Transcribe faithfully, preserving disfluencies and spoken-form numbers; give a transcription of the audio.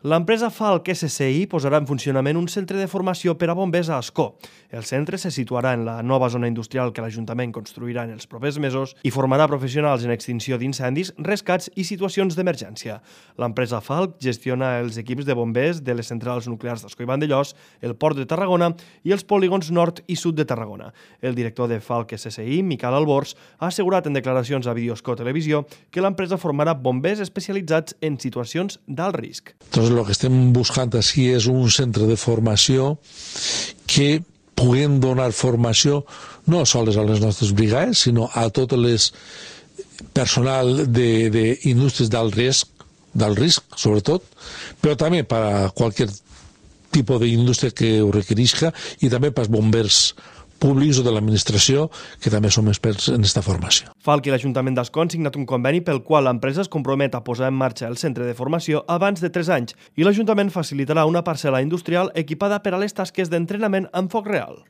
L'empresa Falck S C I posarà en funcionament un centre de formació per a bombers a Ascó. El centre se situarà en la nova zona industrial que l'Ajuntament construirà en els propers mesos i formarà professionals en extinció d'incendis, rescats i situacions d'emergència. L'empresa Falck gestiona els equips de bombers de les centrals nuclears d'Ascó i Vandellòs, el Port de Tarragona i els polígons nord i sud de Tarragona. El director de Falck S C I, Miquel Albors, ha assegurat en declaracions a Videoscó Televisió que l'empresa formarà bombers especialitzats en situacions d'alt risc. Entonces, lo que estem buscant així és un centre de formació que puguem donar formació no sols a les nostres brigades, sinó a tot el personal d'indústries d'alt risc, d'alt risc, sobretot, però també per a qualsevol tipus d'indústria que ho requerisca i també per als bombers públics o de l'administració, que també som experts en aquesta formació. Falck i l'Ajuntament d'Ascó han signat un conveni pel qual l'empresa es compromet a posar en marxa el centre de formació abans de tres anys i l'Ajuntament facilitarà una parcel·la industrial equipada per a les tasques d'entrenament en foc real.